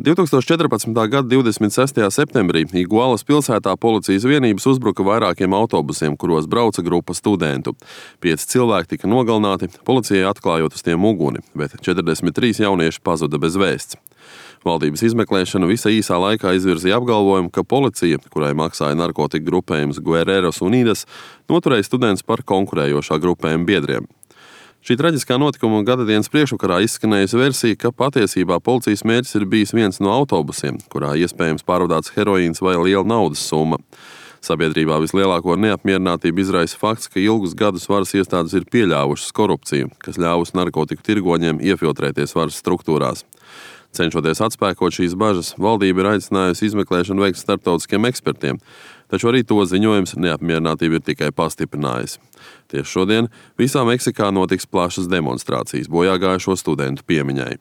2014. gada 26. septembrī Igualas pilsētā policijas vienības uzbruka vairākiem autobusiem, kuros brauca grupa studentu. 5 cilvēki tika nogalināti, policijai atklājot uz tiem uguni, bet 43 jaunieši pazuda bez vēsts. Valdības izmeklēšana visā īsā laikā izvirzīja apgalvojumu, ka policija, kurai maksāja narkotiku grupējums Guerreros Unidas, noturēja studentus par konkurējošā grupējuma biedriem. Šī traģiskā notikuma gadadienas priekšvakarā izskanējusi versija, ka patiesībā policijas mērķis ir bijis viens no autobusiem, kurā iespējams pārvadāts heroīns vai liela naudas summa. Sabiedrībā vislielāko neapmierinātību izraisa fakts, ka ilgus gadus varas iestādes ir pieļāvušas korupciju, kas ļāvusi narkotiku tirgoņiem iefiltrēties varas struktūrās. Cenšoties atspēkot šīs bažas, valdība ir aicinājusi izmeklēšanu veikt starptautiskiem ekspertiem, taču arī to ziņojums neapmierinātību ir tikai pastiprinājis. Tieši šodien visā Meksikā notiks plašas demonstrācijas bojāgājušo studentu piemiņai.